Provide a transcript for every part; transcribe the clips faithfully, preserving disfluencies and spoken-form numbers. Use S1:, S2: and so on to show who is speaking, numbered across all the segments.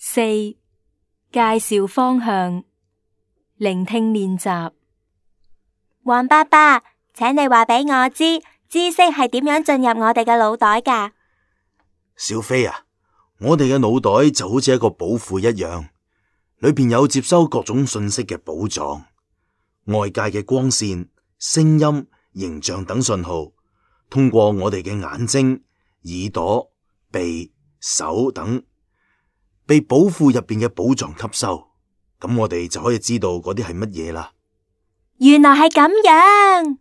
S1: 四、介紹方向，聆聽練習。
S2: 黃伯伯，請你話俾我知，知識係點樣進入我哋嘅腦袋㗎？
S3: 小飛啊，我哋嘅腦袋就好似一個寶庫一樣，裏邊有接收各種信息嘅寶藏，外界嘅光線、聲音、形象等信號，通過我哋嘅眼睛、耳朵、鼻、手等，被寶庫入邊嘅寶藏吸收，咁我哋就可以知道嗰啲係乜嘢啦。
S2: 原來係咁樣，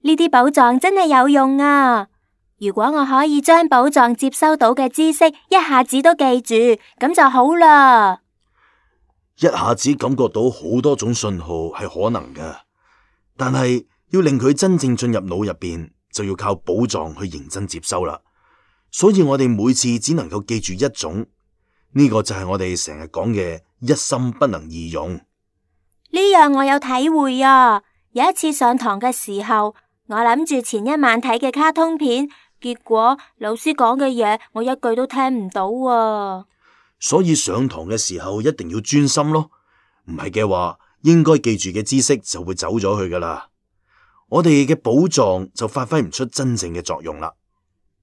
S2: 呢啲寶藏真係有用啊！如果我可以將寶藏接收到嘅知識一下子都記住，咁就好啦。
S3: 一下子感覺到好多種信號係可能嘅，但係要令佢真正進入腦入邊，就要靠寶藏去認真接收啦。所以我哋每次只能夠記住一種，呢個就係我哋成日講嘅一心不能二用。
S2: 呢樣我有體會啊！有一次上堂嘅時候，我諗住前一晚睇嘅卡通片，結果老師講嘅嘢我一句都聽唔到啊！
S3: 所以上堂嘅時候一定要專心咯，唔係嘅話，應該記住嘅知識就會走咗去噶啦。我哋嘅寶藏就發揮唔出真正嘅作用啦。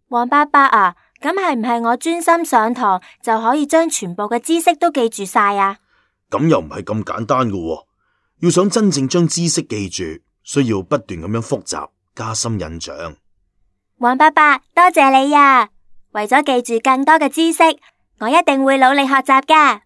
S2: 黃伯伯啊，咁係唔係我專心上堂就可以將全部嘅知識都記住晒啊？
S3: 咁又唔係咁簡單噶喎。要想真正將知識記住，需要不斷咁樣複習，加深印象。
S2: 黃伯伯，多謝你啊！為咗記住更多嘅知識，我一定會努力學習㗎。